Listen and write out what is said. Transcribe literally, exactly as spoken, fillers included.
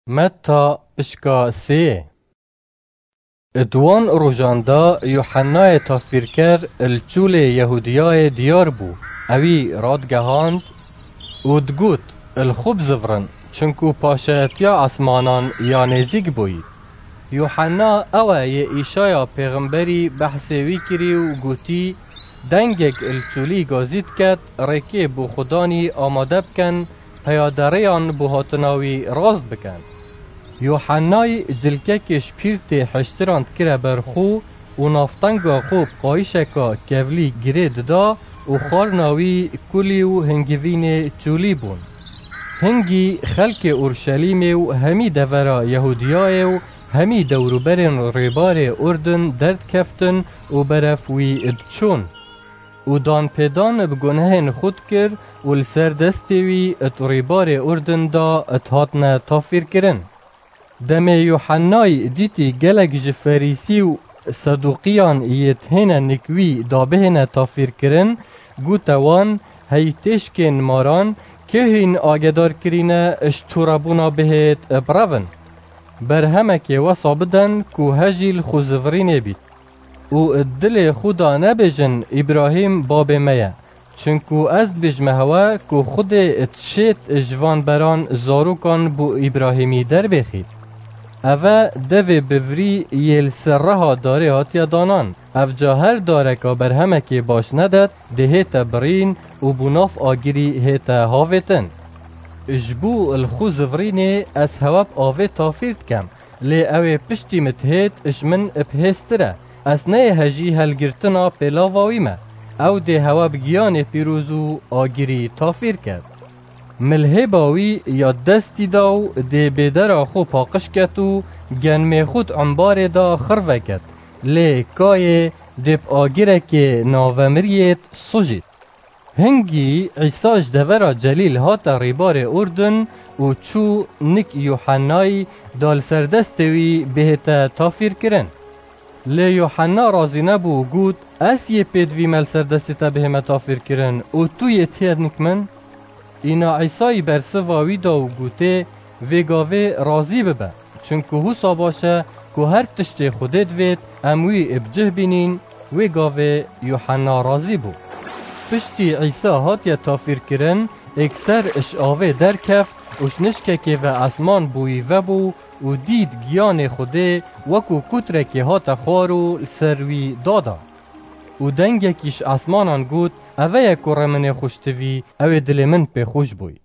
Metta pişka sê. Di wan rojan de Yuhennayê Tasvîrker li çûlê Yehûdiyayê diyar bû. Ewî radigehand û digot, Li xwe bizivirin, çinku paşayetiya esmanan ya nêzîk bûyî. Yuhenna ew e yê Îşaya pêxemberî behsê wî kirî û gotî, Dengek li çûlî gazî diket, rêkê bo Xudanî amade bikin, peyaderêyan bo hatina wî rast bikin. Yuhennay cilkekê ji pîrtê hiştiran dikire ber xwe û navtenga xwe bi qayîşeka kevlî girê dida û xwarina wî kulî û hingivînê çûlî bûn. Hingî xelkê Urşelîmê û hemî devera Yehûdiyayê û hemî dewrûberên rêbarê Urdun derdikeftin û berev wî diçûn. Û danpêdan bi gunehên xwe dikir û li ser destê wî di rêbarê Urdun de dihatine tafîrkirin. Demê Yuhennay dîtî gelek ji Ferîsî û Sedûqiyan yê dihêne nik wî da bihêne tafîrkirin, gote wan, Hey têşkên maran, kê hîn agedar kirîne ji tûrebûna bihêt birevin. Berhemekê wesa bidin ku hejî li xwe zivirînê bît. Û di dilê xwe de nebêjin, Îbrahîm babê me ye. Çinku ez dibêjime hewe ku Xwedê dişêt ji van beran zarokan bo Îbrahîmî derbêxît. Ev e devê bivirî yê li ser reha darê hatiye danan. Evca her dareka berhemekê baş nedet, dihête birîn û bo nav agirî hête havêtin. Ji bo li xwe zivirînê ez hewe bi avê tafîr dikem. Lê ew ê piştî min dihêt ji min bi hêztir e. Ez neyê hejî helgirtina pêlava wî me. Ew dê hewe bi giyanê pîroz û agirî tafîr ket. Min li hêba wî ya destî da û dê bêdera xwe paqij ket û genmê xwe di embarê de xirve ket. Lê kayê dê bi agirekê navemiriyêt sujît. Hingî Îsa ji devera Celîl hate rêbarê Urdun û çû nik Yuhennayî da li ser destê wî bihête tafîrkirin. Lê Yuhenna razî nebû û got, Ez yê pêdivî me li ser destê te bihême tafîrkirin û tu yê tiyê nik min? Îna Îsayî bersiva wî da û gotê, Vê gavê razî bibe. Çinku wisa baş e ku her tiştê Xwedê divêt em wî bi cih bînîn, wê gavê Yuhenna razî bû. Piştî Îsa hatiye tafîrkirin, êkser ji avê derkeft û ji nişkekê ve esman bo wî vebû û dît giyanê Xwedê wekû kutrekê hate xwar û li ser wî dada. Û dengekî ji esmanan got, Eve ye kurê min ê xweştivî, ew ê dilê min pê xweş bûy.